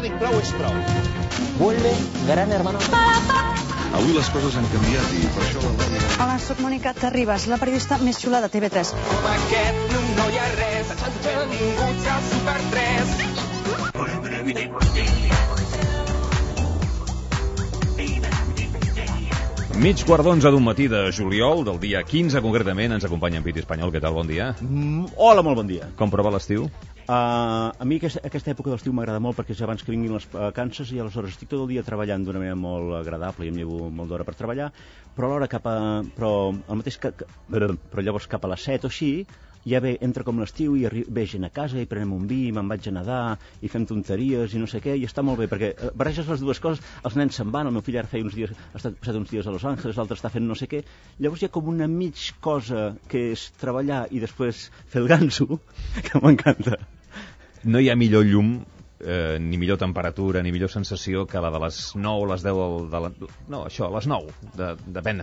dic prou és prou. Vuelve Gran Hermano. Avui les coses han canviat i per això la Lòria... Hola, soc Mònica Terribas, la periodista més xula de TV3. Com aquest no hi ha res, s'han vingut a Super 3. Mig quart d'11 d'un matí de juliol, del dia 15 concretament, ens acompanya en Piti Espanyol. Què tal, bon dia? Hola, molt bon dia. Com prova l'estiu? A mi aquesta època de l'estiu m'agrada molt perquè és abans que vinguin les vacances i aleshores estic tot el dia treballant d'una manera molt agradable i em llevo molt d'hora per treballar, però alhora però llavors cap a les 7 o així ja entra com l'estiu i ve gent a casa i prenem un vi, me'n vaig a nedar i fem tonteries i no sé què, i està molt bé perquè barreges les dues coses, els nens se'n van, el meu fill ara feia uns dies, ha passat uns dies a Los Angeles, l'altre està fent no sé què, llavors hi ha com una mig cosa que és treballar i després fer el ganso, que m'encanta. No hi ha millor llum, ni millor temperatura, ni millor sensació que la de les 9 o les 10 no, això, a les 9 depèn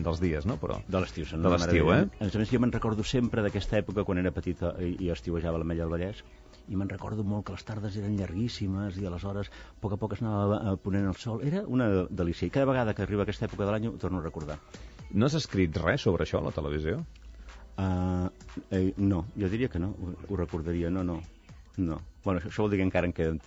dels dies, no? Però de l'estiu, de l'estiu, eh? A més, jo me'n recordo sempre d'aquesta època quan era petita i estiuejava a l'Ametlla del Vallès, i me'n recordo molt que les tardes eren llarguíssimes i aleshores a poc es anava ponent el sol, era una delícia, i cada vegada que arriba aquesta època de l'any ho torno a recordar. No has escrit res sobre això a la televisió? No, jo diria que no, ho recordaria, no. Bueno, això vol dir que encara em queden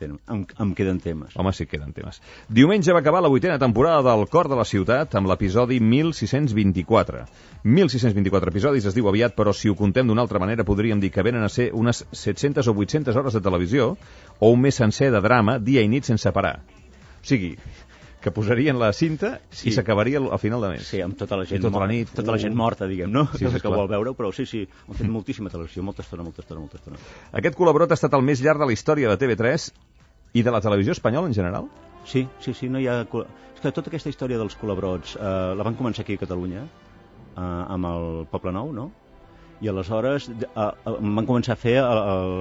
temes. Home, sí, queden temes. Diumenge va acabar la 8a temporada del Cor de la Ciutat amb l'episodi 1624. 1624 episodis es diu aviat, però si ho contem d'una altra manera podríem dir que venen a ser unes 700 o 800 hores de televisió o un mes sencer de drama, dia i nit sense parar. O sigui, que posarien la cinta i s'acabaria al final de mes. Sí, amb tota la gent, tota la nit, tota la gent morta, diguem, no? Sí, que vol veure-ho, però sí, han fet moltíssima televisió, molta estona. Aquest col·laborat ha estat el més llarg de la història de TV3 i de la televisió espanyola en general? Sí, no hi ha... És que tota aquesta història dels col·laborats la van començar aquí a Catalunya, amb el Poble Nou, no? I aleshores van començar a fer a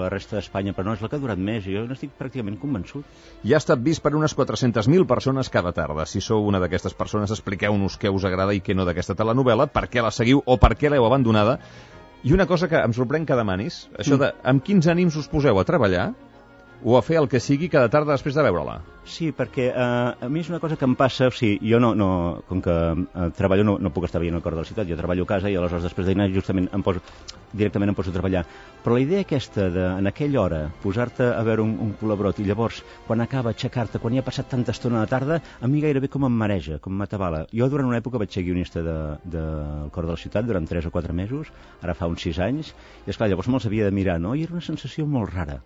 la resta d'Espanya, però no és la que ha durat més, jo n'estic pràcticament convençut. Ja ha estat vist per unes 400.000 persones cada tarda. Si sou una d'aquestes persones, expliqueu-nos què us agrada i què no d'aquesta telenovela, per què la seguiu o per què l'heu abandonada. I una cosa que em sorprèn que demanis, això de amb quins ànims us poseu a treballar o a fer el que sigui cada tarda després de veure-la? Sí, perquè a mi és una cosa que em passa, o sigui, jo com que treballo no puc estar veient el Cor de la Ciutat, jo treballo a casa i aleshores després de dinar justament directament em poso a treballar. Però la idea aquesta de, en aquella hora, posar-te a veure un col·laborat i llavors, quan acaba, aixecar-te, quan hi ha passat tanta estona a la tarda, a mi gairebé com em mareja, com m'atabala. Jo durant una època vaig ser guionista del Cor de la Ciutat durant 3 o 4 mesos, ara fa uns 6 anys, i esclar, llavors me'ls havia de mirar, no? I era una sensació molt rara.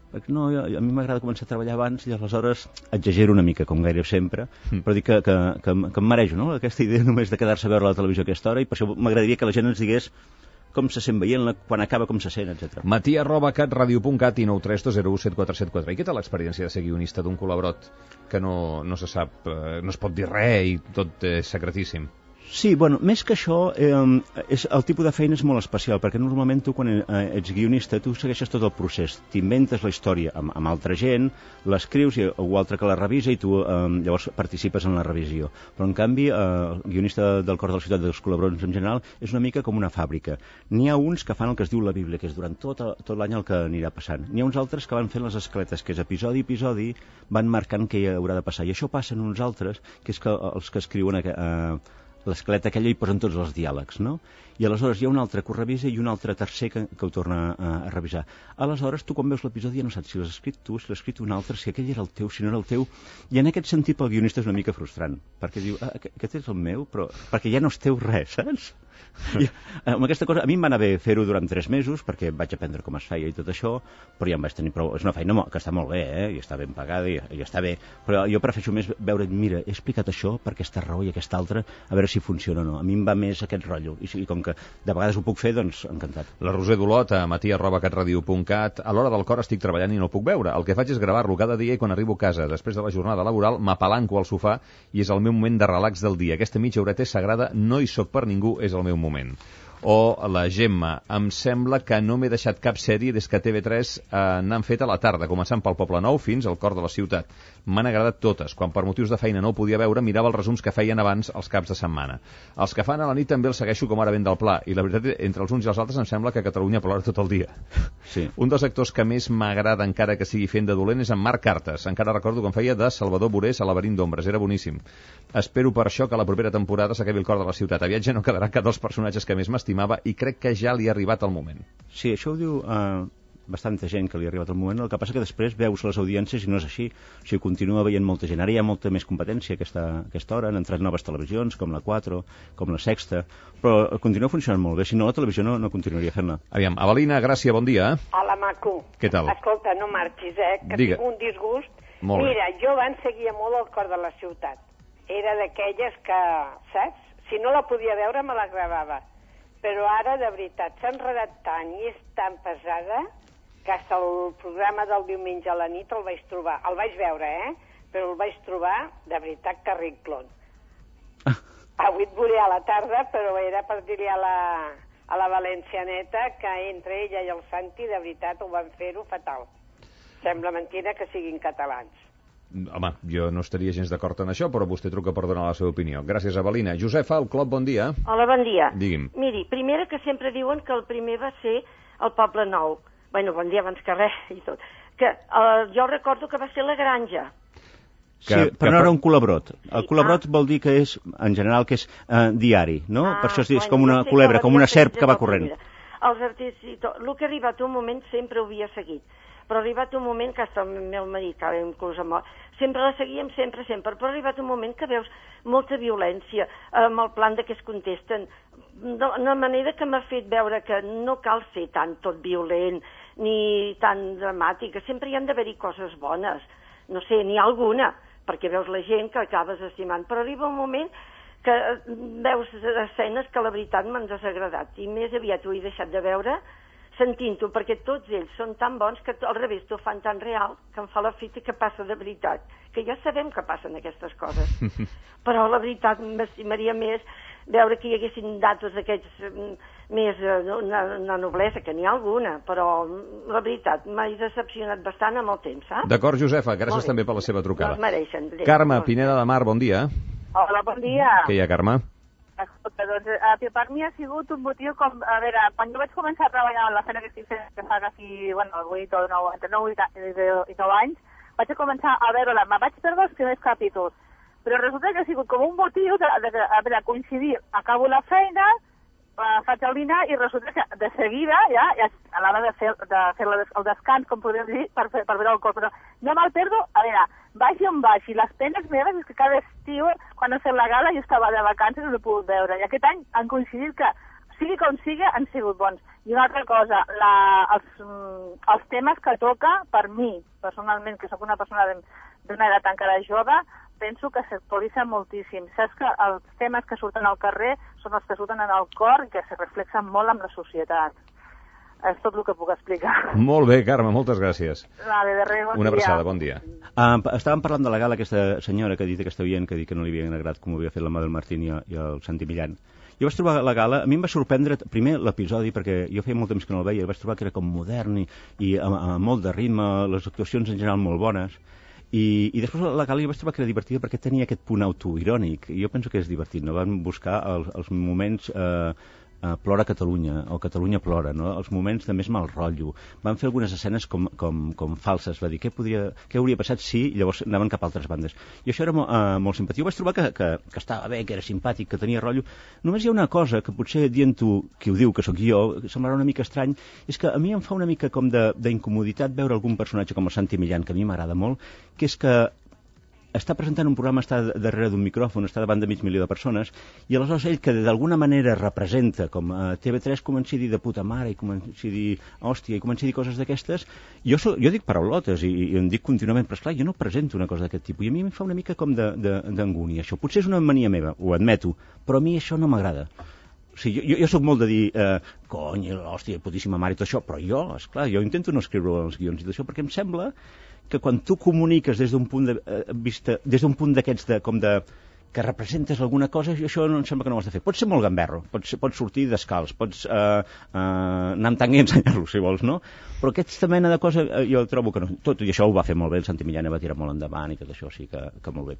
Perquè no, a mi m'agrada començar a treballar abans i aleshores exagero una mica, com gairebé sempre, però dic que em marejo, no? Aquesta idea només de quedar-se a veure la televisió a aquesta hora, i per això m'agradaria que la gent ens digués com se sent veient-la, quan acaba, com se sent, etc. Matí@catradio.cat i 932017474. I què tal l'experiència de ser guionista d'un col·laborat que no se sap, no es pot dir res i tot és secretíssim? Sí, bueno, més que això, el tipus de feina és molt especial, perquè normalment tu, quan ets guionista, tu segueixes tot el procés. T'inventes la història amb altra gent, l'escrius i algú altre que la revisa i tu llavors participes en la revisió. Però, en canvi, el guionista del Cor de la Ciutat, dels col·laboradors en general, és una mica com una fàbrica. N'hi ha uns que fan el que es diu la Bíblia, que és durant tot l'any el que anirà passant. N'hi ha uns altres que van fent les escaletes, que és episodi a episodi, van marcant què hi haurà de passar. I això passa en uns altres, que és que els que escriuen l'esquelet aquella hi posen tots els diàlegs, no? I aleshores hi ha un altre que ho revisa i un altre tercer que ho torna a revisar. Aleshores, tu quan veus l'episodi ja no saps si l'has escrit tu, si l'has escrit un altre, si aquell era el teu, si no era el teu, i en aquest sentit pel guionista és una mica frustrant, perquè diu, aquest és el meu, però perquè ja no és teu res, saps? I, amb aquesta cosa, a mi em va anar bé fer-ho durant 3 mesos, perquè vaig aprendre com es feia i tot això, però ja em vaig tenir prou. És una feina que està molt bé, i està ben pagada i està bé, però jo prefereixo més veure, mira, he explicat això per aquesta raó i aquesta altra, a veure si funciona o no. A mi em va més aquest rotllo, i com que de vegades ho puc fer, doncs encantat. La Roser Dolot, a matí@catradio.cat. A l'hora del Cor estic treballant i no el puc veure. El que faig és gravar-lo cada dia i quan arribo a casa, després de la jornada laboral, m'apalanco al sofà i és el meu moment de relax del dia. Aquesta mitja horeta és sagrada, no hi soc per ningú, és el meu moment. O la Gemma, em sembla que no m'he deixat cap sèrie des que TV3 n'han fet a la tarda, començant pel Poble Nou fins al cor de la ciutat. M'han agradat totes. Quan per motius de feina no ho podia veure, mirava els resums que feien abans els caps de setmana. Els que fan a la nit també els segueixo com ara ben del pla, i la veritat, entre els uns i els altres em sembla que Catalunya plora tot el dia. Sí. Un dels actors que més m'agrada, encara que sigui fent de dolent, és en Marc Cartes. Encara recordo com feia de Salvador Borés a Laberint d'ombres, era boníssim. Espero per això que la propera temporada s'acabi el cor de la ciutat. Aviat ja no quedarà cap dels personatges que més m'estimava i crec que ja li ha arribat el moment. Sí, això ho diu bastanta gent que li ha arribat el moment. El que passa que després veus les audiències i no és així. O sigui, continua veient molta gent. Ara hi ha molta més competència a aquesta hora. Han entrat noves televisions, com la 4, com la Sexta, però continua funcionant molt bé. Si no, la televisió no continuaria fent-la. Aviam, Avelina, Gràcia, bon dia. Hola, maco. Què tal? Escolta, no marxis, que Digue. tinc un disgust. Molt bé. Mira, jo abans seguia molt el cor de la ciutat. Era d'aquelles que, saps? Si no la podia veure, me la gravava. Però ara, de veritat, s'ha enredat tant i és tan pesada que fins el programa del diumenge a la nit el vaig trobar. El vaig veure, però el vaig trobar, de veritat, carrinclon. Avui et veuré a la tarda, però era per dir-li a la valencianeta que entre ella i el Santi, de veritat, ho van fer-ho fatal. Sembla mentida que siguin catalans. Home, jo no estaria gens d'acord en això, però vostè truca per donar la seva opinió. Gràcies, Avelina. Josefa, el Clop, bon dia. Hola, bon dia. Digui'm. Miri, primera que sempre diuen que el primer va ser el Poble Nou. Bueno, bon dia abans que res i tot. Que jo recordo que va ser la Granja. Sí, però no era un colabrot. El colabrot vol dir que és, en general, que és diari, no? Per això és com una culebra, com una serp que va corrent. Els artistes i tot. El que ha arribat un moment sempre ho havia seguit. Però ha arribat un moment que hasta el meu marit, que inclús amb sempre la seguíem, sempre, però ha arribat un moment que veus molta violència amb el plan de que es contesten, d'una manera que m'ha fet veure que no cal ser tant tot violent ni tan dramàtic, que sempre hi han d'haver-hi coses bones, no sé, n'hi ha alguna, perquè veus la gent que acabes estimant, però arriba un moment que veus escenes que la veritat m'han desagradat, i més aviat ho he deixat de veure sentint-ho, perquè tots ells són tan bons que al revés t'ho fan tan real que em fa la fita que passa de veritat, que ja sabem que passen aquestes coses, però la veritat m'estimaria més veure que hi haguessin datos d'aquests més una noblesa, que n'hi ha alguna, però la veritat m'ha decepcionat bastant amb el temps, saps? D'acord, Josefa, gràcies també per la seva trucada. No es mereixen. Carme, Pineda de Mar, bon dia. Hola, bon dia. Què hi ha, Carme? Escolta, doncs, per mi ha sigut un motiu com, a veure, quan jo vaig començar a treballar en la feina que estic fent, que fa quasi, bueno, 8 o 9, entre 9 i 9 anys, vaig començar a veure-la, me vaig perdre els primers capítols, però resulta que ha sigut com un motiu de coincidir, acabo la feina, faig el dinar i resulta que de seguida, ja a l'hora de fer el descans, com podem dir, per veure el cor, però no me'l perdo, a veure, vagi on vagi, les penes meves és que cada estiu, quan ha fet la gala, jo estava de vacances i no l'he pogut veure, i aquest any han coincidit que, sigui com sigui, han sigut bons. I una altra cosa, els temes que toca, per mi, personalment, que sóc una persona d'una edat encara jove, penso que s'actualitzen moltíssim. Saps que els temes que surten al carrer són els que surten en el cor i que se reflexen molt amb la societat. És tot el que puc explicar. Molt bé, Carme, moltes gràcies. Vale, de res, bon Una dia. abraçada, bon dia. Estàvem parlant de la gala, aquesta senyora que ha dit, aquesta oient, que ha dit que no li havia agradat com ho havia fet la Mabel Martín i el Santi Millán. Jo vaig trobar la gala, a mi em va sorprendre primer l'episodi, perquè jo feia molt temps que no el veia, vaig trobar que era com modern i amb molt de ritme, les actuacions en general molt bones, i després la gala jo vaig trobar que era divertida perquè tenia aquest punt autoirònic, i jo penso que és divertit, no? Van buscar els moments Plora Catalunya, o Catalunya plora, no? Els moments de més mal rotllo. Van fer algunes escenes com falses, va dir, què hauria passat si llavors anaven cap a altres bandes. I això era molt simpatia. Jo vaig trobar que estava bé, que era simpàtic, que tenia rotllo. Només hi ha una cosa que potser dient-ho, qui ho diu, que sóc jo, semblarà una mica estrany, és que a mi em fa una mica com d'incomoditat veure algun personatge com el Santi Millán, que a mi m'agrada molt, que és que està presentant un programa, està darrere d'un micròfon, està davant de 500.000 de persones, i aleshores ell, que d'alguna manera representa, com a TV3 comença a dir de puta mare, i comença a dir hòstia, i comença a dir coses d'aquestes, jo dic paraulotes, i em dic contínuament, però esclar, jo no presento una cosa d'aquest tipus, i a mi em fa una mica com d'angúnia, això. Potser és una mania meva, ho admeto, però a mi això no m'agrada. O sigui, jo sóc molt de dir, cony, hòstia, putíssima mare i tot això, però jo, esclar, jo intento no escriure els guions i tot això, perquè em sembla que quan tu comuniques des d'un punt de vista, des d'un punt d'aquests com de que representes alguna cosa, i això no em sembla que no ho has de fer. Pots ser molt gamberro, pots sortir descalç, pots anar amb tanga i ensenyar-lo, si vols, no? Però aquesta mena de cosa jo trobo que no. Tot i això ho va fer molt bé, el Santi Millana va tirar molt endavant i tot això, sí que molt bé.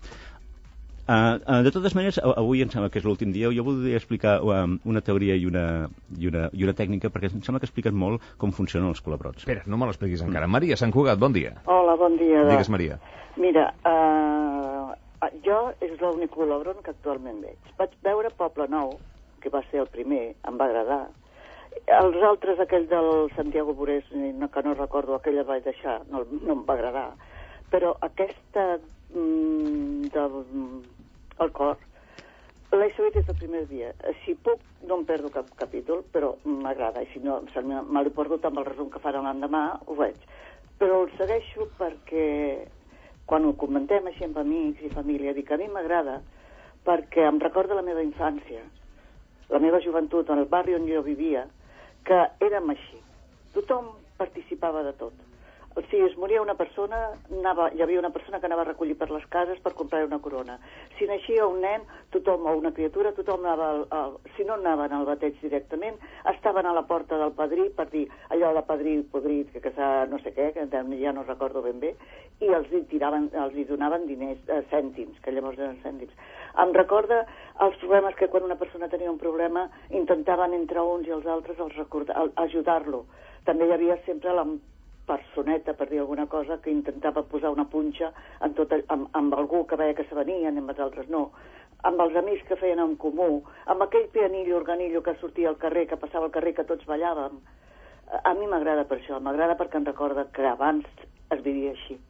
De totes maneres, avui em sembla que és l'últim dia, jo voldria explicar una teoria i una tècnica, perquè em sembla que expliquen molt com funcionen els culebrots. Espera, no me l'expliquis encara. Maria Sant Cugat, bon dia. Hola, bon dia. Digues, Maria. Mira, jo és l'únic culebron que actualment veig. Vaig veure Poble Nou, que va ser el primer, em va agradar. Els altres, aquell del Santiago Burés, que no recordo, aquella vaig deixar, no em va agradar. Però aquesta del cor l'he seguit des del primer dia. Si puc, no em perdo cap capítol, però m'agrada. I si no, me l'he perdut amb el resum que faran l'endemà, ho veig. Però el segueixo perquè quan ho comentem així amb amics i família, dic que a mi m'agrada perquè em recorda la meva infància, la meva joventut, en el barri on jo vivia, que érem així. Tothom participava de tot. O sigui, es moria una persona, hi havia una persona que anava a recollir per les cases per comprar una corona. Si naixia un nen, tothom, o una criatura, tothom anava, si no anaven al bateig directament, estaven a la porta del padrí per dir allò de padrí podrit, que s'ha no sé què, que ja no recordo ben bé, i els hi donaven diners, cèntims, que llavors eren cèntims. Em recorda els problemes que quan una persona tenia un problema intentaven entre uns i els altres ajudar-lo. També hi havia sempre la personeta, per dir alguna cosa, que intentava posar una punxa amb algú que veia que se venien, amb els altres no, amb els amics que feien en comú, amb aquell pianillo, organillo que sortia al carrer, que passava al carrer, que tots ballàvem. A mi m'agrada per això, m'agrada perquè em recorda que abans es vivia així.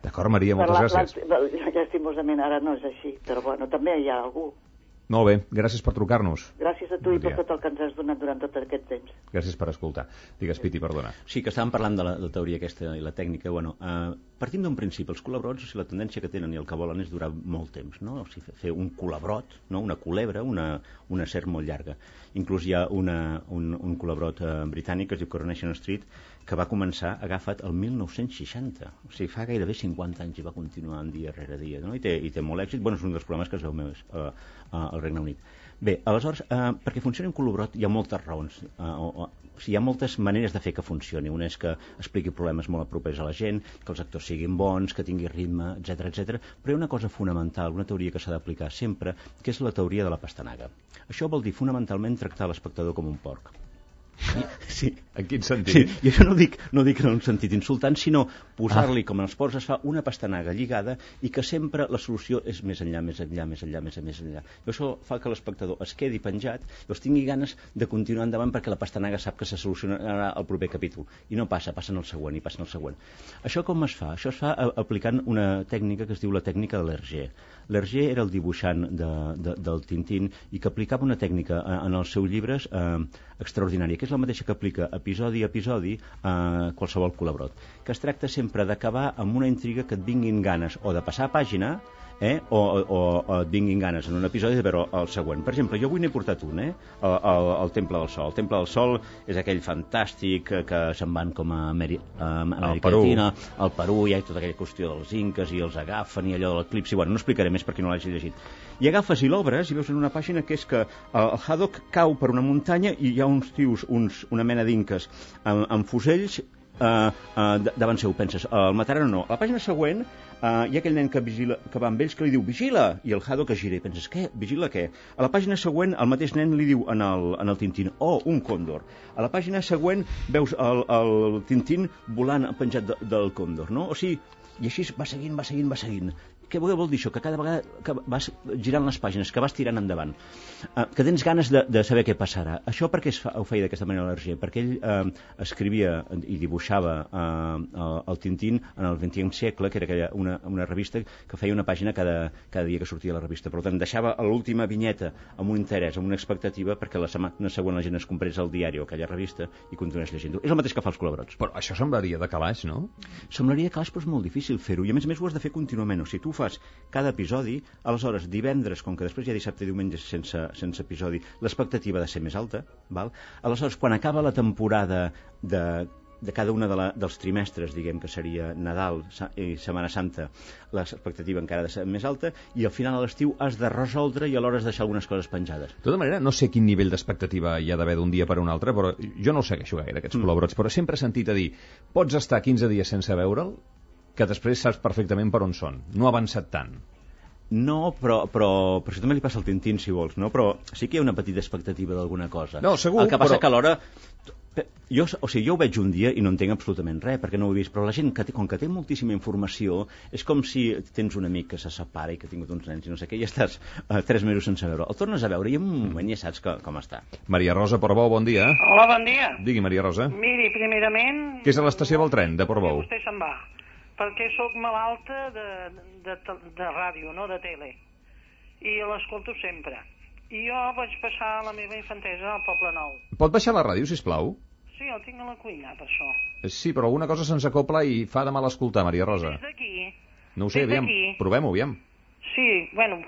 D'acord, Maria, moltes gràcies. Llastimosament ara no és així, però bueno, també hi ha algú. Molt bé, gràcies per trucar-nos. Gràcies a tu i per tot el que ens has donat durant tot aquest temps. Gràcies per escoltar. Digues, Piti, perdona. Sí, que estàvem parlant de la teoria aquesta i la tècnica. Bueno, partim d'un principi. Els culebrots, o sigui, la tendència que tenen i el que volen és durar molt temps, no? O sigui, fer un culebrot, no? Una culebra, una serp molt llarga. Inclús hi ha un culebrot britànic que es diu Coronation Street, que va començar agafat el 1960. O sigui, fa gairebé 50 anys i va continuar dia rere dia, no? I té molt èxit. Bueno, és un dels problemes que es veu més al Regne Unit. Bé, aleshores, perquè funcioni un culebrot hi ha moltes raons. O sigui, hi ha moltes maneres de fer que funcioni. Una és que expliqui problemes molt propers a la gent, que els actors siguin bons, que tingui ritme, etc. Però hi ha una cosa fonamental, una teoria que s'ha d'aplicar sempre, que és la teoria de la pastanaga. Això vol dir fonamentalment tractar l'espectador com un porc. Sí. En quin sentit? Sí, i això no dic en un sentit insultant, sinó posar-li, com en els porcs es fa, una pastanaga lligada i que sempre la solució és més enllà. I això fa que l'espectador es quedi penjat i els tingui ganes de continuar endavant perquè la pastanaga sap que se solucionarà al proper capítol. I no passen al següent. Això com es fa? Això es fa aplicant una tècnica que es diu la tècnica de l'Hergé. L'Hergé era el dibuixant del Tintín i que aplicava una tècnica en els seus llibres extraordinària, que és la mateixa que aplica episodi a episodi a qualsevol culebrot, que es tracta sempre d'acabar amb una intriga que et vinguin ganes o de passar a pàgina o et vinguin ganes en un episodi de veure el següent. Per exemple, jo avui n'he portat un, el Temple del Sol. El Temple del Sol és aquell fantàstic que se'n van com a Amèrica Llatina, al Perú, hi ha tota aquella qüestió dels inques i els agafen i allò de l'eclipsi. Bueno, no explicaré més per qui no l'hagi llegit. I agafes i l'obres i veus en una pàgina que és que el Haddock cau per una muntanya i hi ha uns tios, una mena d'inques amb fusells davant seu. Penses, el mataran o no? A la pàgina següent hi ha aquell nen que va amb ells que li diu vigila, i el Haddock es gira i penses, què? Vigila què? A la pàgina següent el mateix nen li diu en el Tintín, un còndor. A la pàgina següent veus el Tintín volant penjat del còndor, no? O sigui, i així va seguint. Què vol dir això? Que cada vegada que vas girant les pàgines, que vas tirant endavant, que tens ganes de saber què passarà. Això per què ho feia d'aquesta manera l'Hergé? Perquè ell escrivia i dibuixava el Tintín en el XXe segle, que era una revista que feia una pàgina cada dia que sortia la revista. Per tant, deixava l'última vinyeta amb un interès, amb una expectativa, perquè la setmana següent la gent es comprés el diari o aquella revista i continués llegint-ho. És el mateix que fa els culebrots. Però això semblaria de calaix, no? Semblaria de calaix, però és molt difícil fer-ho. I a més ho has de fer contínuament. O sigui, tu fas cada episodi, aleshores divendres, com que després hi ha dissabte i diumenge sense episodi, l'expectativa ha de ser més alta, val? Aleshores, quan acaba la temporada de cada una dels trimestres, diguem que seria Nadal i Setmana Santa, l'expectativa encara ha de ser més alta, i al final a l'estiu has de resoldre i alhora has de deixar algunes coses penjades. De tota manera, no sé quin nivell d'expectativa hi ha d'haver d'un dia per un altre, però jo no el segueixo gaire, aquests col·laborats, però sempre he sentit a dir, pots estar 15 dies sense veure'l, que després saps perfectament per on són. No ha avançat tant. No, però això també li passa al Tintín, si vols, no? Però sí que hi ha una petita expectativa d'alguna cosa. No, segur, el que passa que alhora... Jo ho veig un dia i no entenc absolutament res, perquè no ho he vist, però la gent, com que té moltíssima informació, és com si tens un amic que se separa i que ha tingut uns nens i no sé què, i estàs 3 mesos sense veure. El tornes a veure i en un moment ja saps com està. Maria Rosa Portbou, bon dia. Hola, bon dia. Digui, Maria Rosa. Miri, primerament... Què és a l'estació del tren, de Portbou? Vostè se'n va, perquè sóc malalta de ràdio, no de tele, i l'escolto sempre. I jo vaig passar la meva infantesa al Poble Nou. Pot baixar la ràdio, sisplau? Sí, el tinc a la cuina, per això. Sí, però alguna cosa se'ns acopla i fa de mal escoltar, Maria Rosa. Des d'aquí. No ho sé, aviam, provem-ho, aviam. Sí, bueno,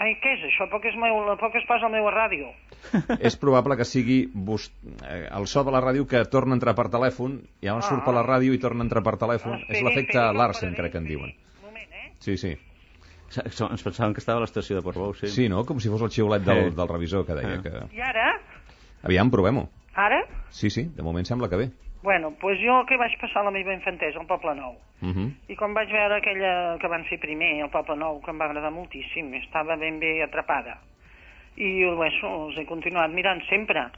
ai, què és això? Poc es passa al meu ràdio. És probable que sigui el so de la ràdio que torna a entrar per telèfon, i llavors surt per la ràdio i torna a entrar per telèfon. És l'efecte Larsen, crec que en diuen. Un moment, Sí, sí. Ens pensàvem que estava a l'estació de Portbou, sí. Sí, no? Com si fos el xiulet del revisor que deia que... I ara? Aviam, provem-ho. Ara? Sí, de moment sembla que bé. Bueno, doncs jo que vaig passar la meva infantesa al Poble Nou. I quan vaig veure aquella que van fer primer, al Poble Nou, que em va agradar moltíssim, estava ben bé atrapada. I els he continuat mirant sempre.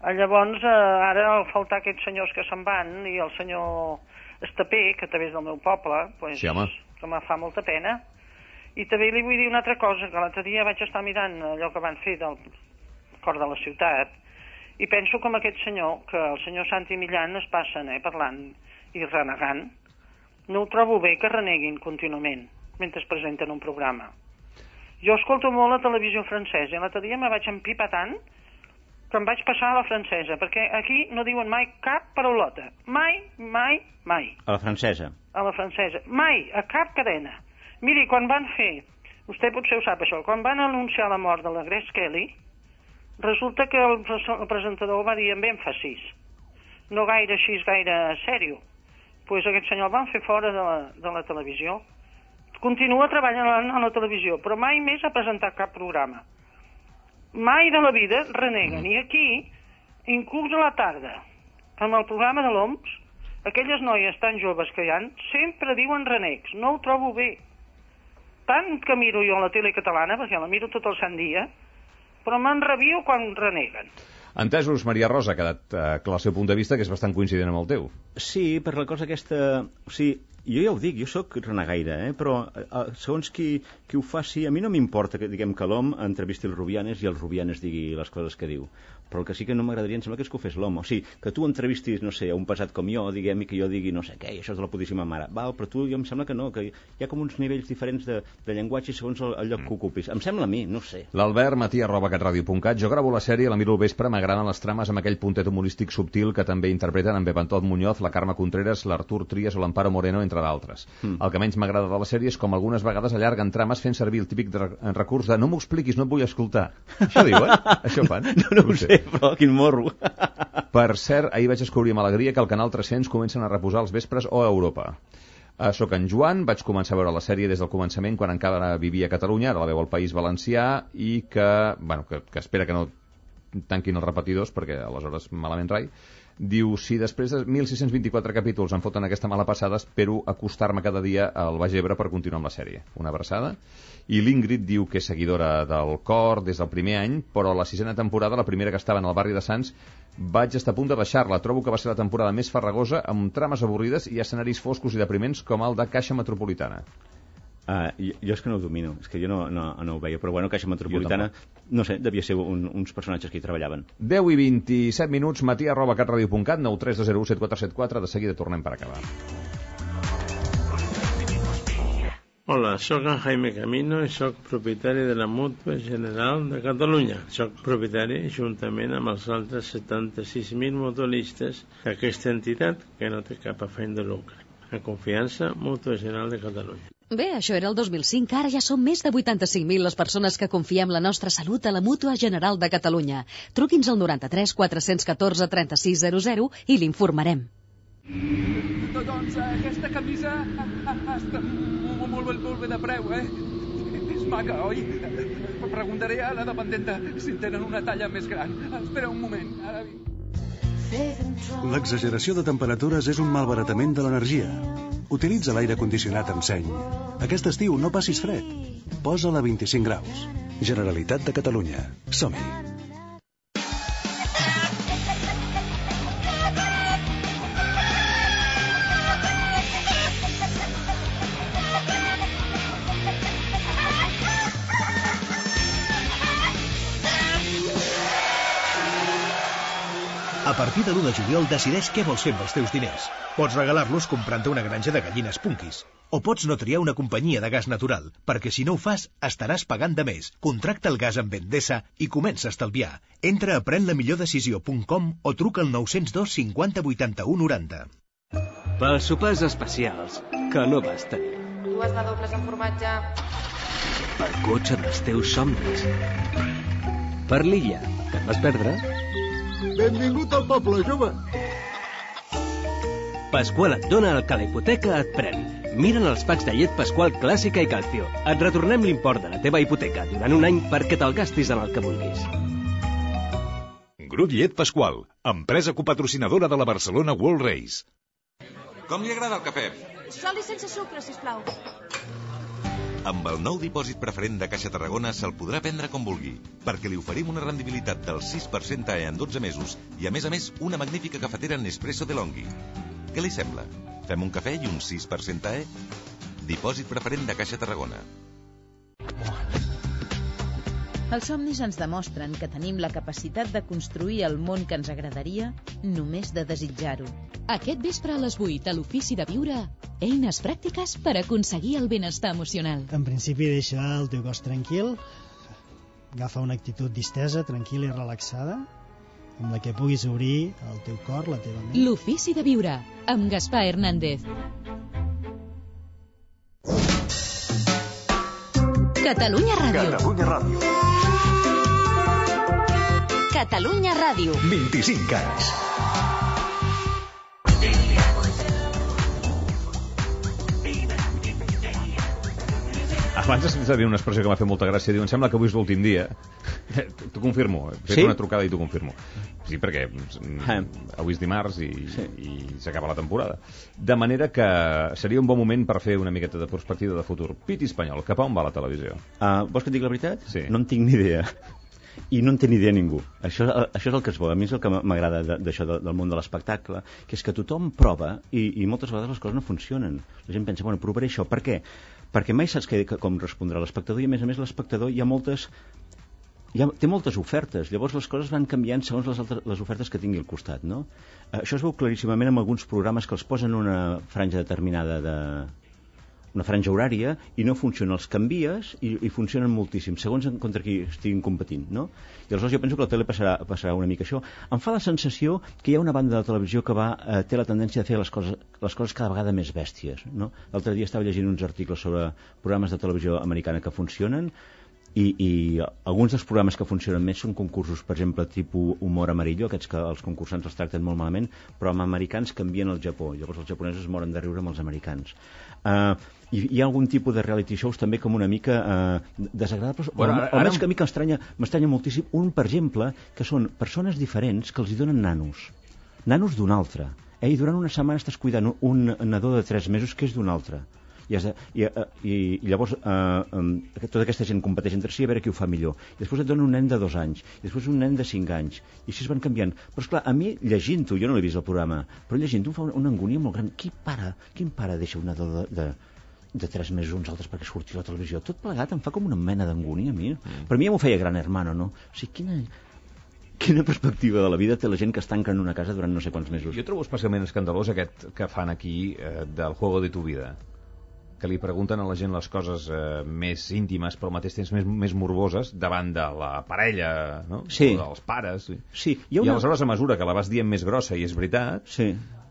Llavors, ara al faltar aquests senyors que se'n van, i el senyor Estapé, que també és del meu poble, sí, home, que me fa molta pena. I també li vull dir una altra cosa, que l'altre dia vaig estar mirant allò que van fer del cor de la ciutat, i penso com aquest senyor, que el senyor Santi Millán es passen parlant i renegant. No ho trobo bé que reneguin contínuament mentre es presenten un programa. Jo escolto molt la televisió francesa i l'altre dia me vaig empipar tant que em vaig passar a la francesa, perquè aquí no diuen mai cap paraulota. Mai. A la francesa? A la francesa. Mai, a cap cadena. Miri, quan van fer, vostè potser ho sap això, quan van anunciar la mort de la Grace Kelly, resulta que el presentador va dir amb èmfasis, no gaire així, gaire sèrio. Doncs aquest senyor el van fer fora de la televisió. Continua treballant a la televisió, però mai més ha presentat cap programa. Mai de la vida reneguen. I aquí, inclús a la tarda, amb el programa de l'OMS, aquelles noies tan joves que hi ha, sempre diuen renecs. No ho trobo bé. Tant que miro jo la tele catalana, perquè la miro tot el sant dia, però m'enrabio quan reneguen. Entesos, Maria Rosa, ha quedat clar el seu punt de vista, que és bastant coincident amb el teu. Sí, per la cosa aquesta... O sigui, jo ja ho dic, jo sóc renegaire, però segons qui ho faci, a mi no m'importa que diguem que l'home entrevisti el Rubianes i el Rubianes digui les coses que diu. Però el que sí que no m'agradaria, em sembla que és que ho fes l'home. O sigui, que tu entrevistis, no sé, a un pesat com jo, diguem, i que jo digui no sé què, i això és de la putíssima mare. Val, però tu, jo em sembla que no, que hi ha com uns nivells diferents de llenguatge segons el lloc que ocupis. Em sembla a mi, no sé. L'Albert Matí@catradio.cat. Jo gravo la sèrie, la miro al vespre, m'agraden les trames amb aquell puntet humorístic subtil que també interpreten en Bepantot Muñoz, la Carme Contreras, l'Artur Trias o l'Amparo Moreno, entre d'altres. El que menys m'agrada de la sèrie és com algunes vegades allarguen trames fent servir el típic recurs de no m'ho expliquis, no et vull escoltar. Això diuen? Això fan? No ho sé, però quin morro. Per cert, ahir vaig descobrir amb alegria que el Canal 300 comencen a reposar els vespres o a Europa. Soc en Joan, vaig començar a veure la sèrie des del començament quan encara vivia a Catalunya, ara la veu al País Valencià, i que espera que no tanquin els repetidors perquè aleshores malament rai. Diu, si després de 1.624 capítols em foten aquesta mala passada, espero acostar-me cada dia al Baix Ebre per continuar amb la sèrie. Una abraçada. I l'Ingrid diu que és seguidora del cor des del primer any, però la 6a temporada, la primera que estava en el barri de Sants, vaig estar a punt de baixar-la. Trobo que va ser la temporada més farragosa, amb trames avorrides i escenaris foscos i depriments com el de Caixa Metropolitana. Jo és que no ho domino, és que jo no ho veia, però bueno, Caixa Metropolitana, no sé, devia ser uns personatges que hi treballaven. 10 i 27 minuts, matí@catradio.cat, 932017474, de seguida tornem per acabar. Hola, soc en Jaime Camino i soc propietari de la Mútua General de Catalunya. Soc propietari juntament amb els altres 76.000 mutualistes d'aquesta entitat que no té cap afany de lucre. En confiança, Mútua General de Catalunya. Bé, això era el 2005, ara ja som més de 85.000 les persones que confiem la nostra salut a la Mútua General de Catalunya. Truqui'ns al 93 414 3600 i l'informarem. Doncs aquesta camisa està molt bé de preu, És maca, oi? Preguntaré a la dependenta si tenen una talla més gran. Espera un moment, ara vinc. L'exageració de temperatures és un malbaratament de l'energia. Utilitza l'aire condicionat amb seny. Aquest estiu no passis fred. Posa-la a 25 graus. Generalitat de Catalunya. Som-hi. A partir de l'1 de juliol decideix què vols fer amb els teus diners. Pots regalar-los comprant-te una granja de gallines Punkis. O pots no triar una companyia de gas natural, perquè si no ho fas, estaràs pagant de més. Contracta el gas amb Endesa i comença a estalviar. Entra a prenlamillordecisió.com o truca al 902 50 81 90. Pels sopars especials, que no vas tenir. Dues de dobles amb formatge. Pel cotxe dels teus somnis. Per l'illa, que et vas perdre. Benvingut al poble, jove. Pasqual et dona el que la hipoteca et pren. Mira'n els packs de llet Pasqual Clàssica i Calcio. Et retornem l'import de la teva hipoteca durant un any perquè te'l gastis en el que vulguis. Grup Llet Pasqual, empresa copatrocinadora de la Barcelona World Race. Com li agrada el cafè? Sol i sense sucre, sisplau. Amb el nou dipòsit preferent de Caixa Tarragona se'l podrà prendre com vulgui, perquè li oferim una rendibilitat del 6% en 12 mesos i, a més, una magnífica cafetera Nespresso DeLonghi. Què li sembla? Fem un cafè i un 6% Dipòsit preferent de Caixa Tarragona. Els somnis ens demostren que tenim la capacitat de construir el món que ens agradaria només de desitjar-ho. Aquest vespre a les 8 a l'Ofici de Viure, eines pràctiques per aconseguir el benestar emocional. En principi, deixa el teu cos tranquil, agafa una actitud distesa, tranquil·la i relaxada, amb la que puguis obrir el teu cor, la teva ment. L'Ofici de Viure, amb Gaspar Hernández. Catalunya Ràdio. Catalunya Ràdio. Catalunya Ràdio. 25 anys. Abans has dit una expressió que m'ha fet molta gràcia. Diu, em sembla que avui és l'últim dia. T'ho confirmo. He fet una trucada i t'ho confirmo. Sí, perquè avui és dimarts i s'acaba la temporada. De manera que seria un bon moment per fer una miqueta de perspectiva de futur. Piti espanyol, cap a on va la televisió? Vols que et digui la veritat? Sí. No en tinc ni idea. I no en té ni idea ningú. Això és el que es vol. A mi és el que m'agrada d'això del món de l'espectacle, que és que tothom prova i moltes vegades les coses no funcionen. La gent pensa, bueno, provaré això. Per què? Perquè mai saps com respondrà l'espectador i, a més, l'espectador té moltes ofertes. Llavors les coses van canviant segons les ofertes que tingui al costat, no? Això es veu claríssimament en alguns programes que els posen una franja determinada una franja horària i no funciona, els canvies i funcionen moltíssim, segons contra qui estiguin competint, no? I aleshores jo penso que la tele passarà una mica això. Em fa la sensació que hi ha una banda de televisió que té la tendència de fer les coses cada vegada més bèsties, no? L'altre dia estava llegint uns articles sobre programes de televisió americana que funcionen i alguns dels programes que funcionen més són concursos, per exemple, tipus humor amarillo, aquests que els concursants els tracten molt malament, però amb americans canvien al Japó. Llavors els japonesos es moren de riure amb els americans. Hi ha algun tipus de reality shows també com una mica desagradables, almenys que a mi m'estranya moltíssim un, per exemple, que són persones diferents que els hi donen nanos d'un altre, i durant una setmana estàs cuidant un nadó de 3 mesos que és d'un altre. I llavors tota aquesta gent competeix entre si a veure qui ho fa millor, i després et donen un nen de 2 anys i després un nen de 5 anys i així es van canviant. Però esclar, a mi llegint-ho, jo no l'he vist el programa, però llegint-ho em fa una angúnia molt gran. Quin pare deixa un nadó de 3 mesos uns altres perquè surti a la televisió? Tot plegat em fa com una mena d'angúnia a mi. Per mi ja m'ho feia Gran Hermano, no? O sigui, quina perspectiva de la vida té la gent que es tanca en una casa durant no sé quants mesos? Jo trobo especialment escandalós aquest que fan aquí del Juego de tu vida, que li pregunten a la gent les coses més íntimes, però al mateix temps més morboses, davant de la parella, no? Sí. O dels pares. Sí. I aleshores, a mesura que la vas dient més grossa, i és veritat,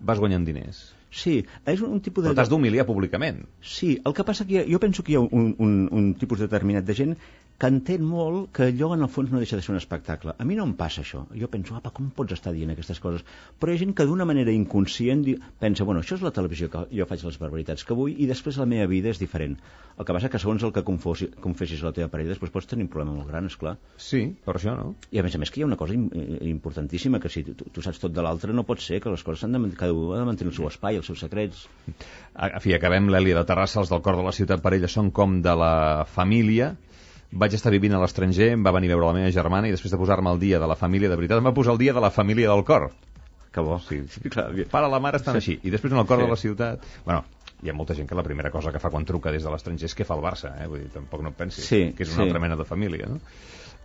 vas guanyant diners. Sí, és un tipus de... Però t'has d'humiliar públicament. Sí, el que passa que jo penso que hi ha un tipus determinat de gent que entén molt que allò en el fons no deixa de ser un espectacle. A mi no em passa això. Jo penso, apa, com pots estar dient aquestes coses? Però hi ha gent que d'una manera inconscient pensa, bueno, això és la televisió, que jo faig les barbaritats que vull i després la meva vida és diferent. El que passa que segons el que confessis a la teva parella després pots tenir un problema molt gran, esclar. Sí, per això, no? I a més que hi ha una cosa importantíssima, que si tu saps tot de l'altre no pot ser, que les coses cada un ha de mantenir el seu espai, els seus secrets. En fi, acabem l'Èlia de Terrassa, els del cor de la ciutat per ella són com de la família. Vaig estar vivint a l'estranger, em va venir a veure la meva germana i després de posar-me al dia de la família de veritat em va posar el dia de la família del cor. Que bo. Sí, clar, el pare i la mare estan així. I després en el cor de la ciutat... Bueno, hi ha molta gent que la primera cosa que fa quan truca des de l'estranger és què fa el Barça, Vull dir, tampoc no et pensis, que és una altra mena de família, no?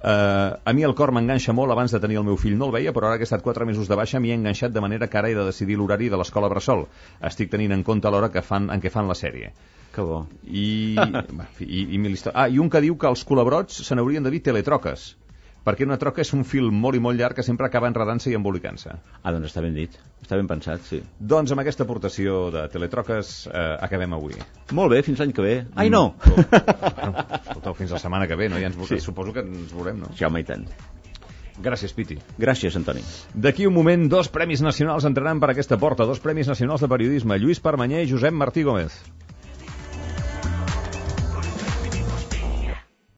A mi el cor m'enganxa molt. Abans de tenir el meu fill no el veia, però ara que he estat 4 mesos de baixa m'hi he enganxat de manera que ara he de decidir l'horari de l'escola bressol. Estic tenint en compte l'hora en què fan la sèrie. Que bo. I un que diu que els culebrots se n'haurien de dir teletroques, perquè una troca és un fil molt i molt llarg que sempre acaba enredant-se i embolicant-se. Doncs està ben dit, està ben pensat, sí. Doncs amb aquesta aportació de teletroques acabem avui. Molt bé, fins l'any que ve. Ai, no! Escolteu, fins la setmana que ve, no? Suposo que ens veurem, no? Ja, home, i tant. Gràcies, Piti. Gràcies, Antoni. D'aquí un moment, 2 premis nacionals entraran per aquesta porta, 2 premis nacionals de periodisme, Lluís Permanyer i Josep Martí Gómez.